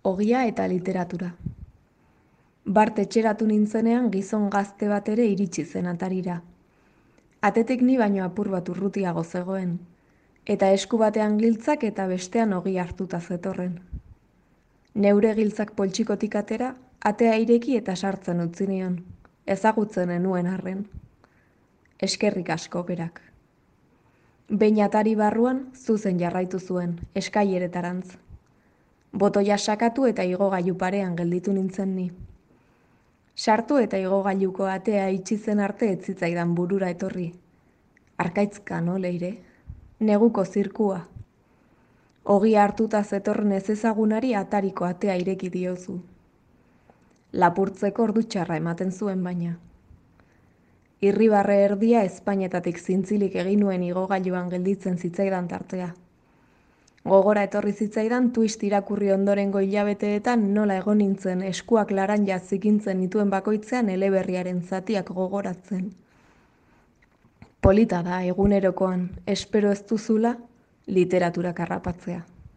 Ogia eta literatura. Bart etxeratu nintzenean gizon gazte bat ere iritsi zen atarira. Atetik ni baino apur bat urrutiago zegoen, eta esku batean giltzak eta bestean ogi hartuta zetorren. Neure giltzak poltsikotik atera, atea ireki eta sartzen utzi nion, ezagutzen enuen arren. Eskerrik asko berak. Behin atari barruan, zuzen jarraitu zuen, eskaileretarantz. Botoia sakatu eta igogailu parean gelditu nintzen ni. Sartu eta igogailuko atea itxi zen arte ez zitzaidan burura etorri. Arkaitzka no, Leire? Neguko zirkua. Ogia hartuta zetorren ezezagunari atariko atea ireki diozu. Lapurtzeko ordu txarra ematen zuen baina. Irribarre erdia ezpainetatik zintzilik egin nuen igogailuan gelditzen zitzaidan tartea. Gogora etorri zitzaidan twist irakurri ondorengo hilabeteetan nola egon nintzen eskuak laranja zikintzen nituen bakoitzean eleberriaren zatiak gogoratzen. Polita da egunerokoan, espero ez duzula, literaturak harrapatzea.